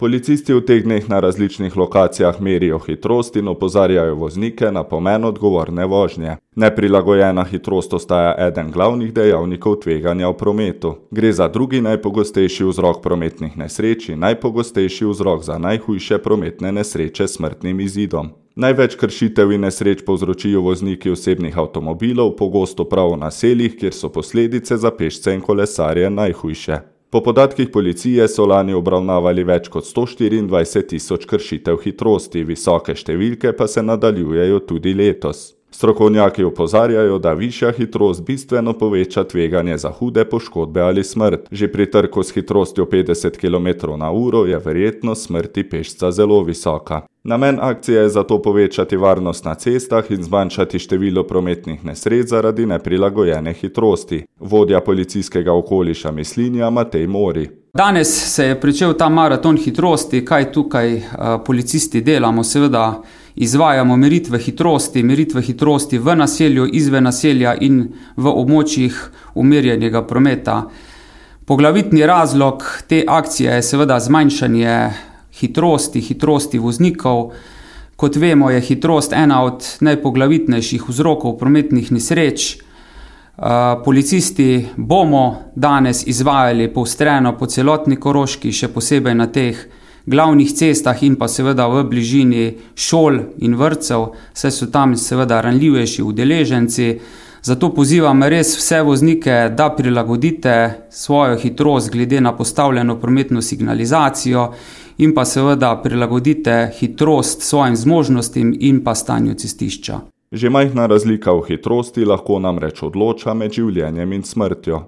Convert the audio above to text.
Policisti v teh dneh na različnih lokacijah merijo hitrost in opozarjajo voznike na pomen odgovorne vožnje. Neprilagojena hitrost ostaja eden glavnih dejavnikov tveganja v prometu. Gre za drugi najpogostejši vzrok prometnih nesreč in najpogostejši vzrok za najhujše prometne nesreče s smrtnim izidom. Največ kršitev in nesreč povzročijo vozniki osebnih avtomobilov, pogosto prav v naseljih, kjer so posledice za pešce in kolesarje najhujše. Po podatkih policije so lani obravnavali več kot 124.000 kršitev hitrosti, visoke številke pa se nadaljujejo tudi letos. Strokovnjaki opozarjajo, da višja hitrost bistveno poveča tveganje za hude poškodbe ali smrt. Že pri trku s hitrostjo 50 km/h je verjetnost smrti pešca zelo visoka. Namen akcije je zato povečati varnost na cestah in zmanjšati število prometnih nesreč zaradi neprilagojene hitrosti. Vodja policijskega okoliša Mislinja Matej Mori. Danes se je pričel ta maraton hitrosti, kaj tukaj policisti delamo, seveda izvajamo meritve hitrosti v naselju, izven naselja in v območjih umirjenega prometa. Poglavitni razlog te akcije je seveda zmanjšanje hitrosti voznikov. Kot vemo, je hitrost ena od najpoglavitnejših vzrokov prometnih nesreč. Policisti bomo danes izvajali poostreno po celotni Koroški, še posebej na teh glavnih cestah in pa seveda v bližini šol in vrtcev, saj so tam seveda ranljivejši udeleženci. Zato pozivam res vse voznike, da prilagodite svojo hitrost glede na postavljeno prometno signalizacijo in pa seveda prilagodite hitrost svojim zmožnostim in pa stanju cestišča. Že majhna razlika v hitrosti lahko namreč odloča med življenjem in smrtjo.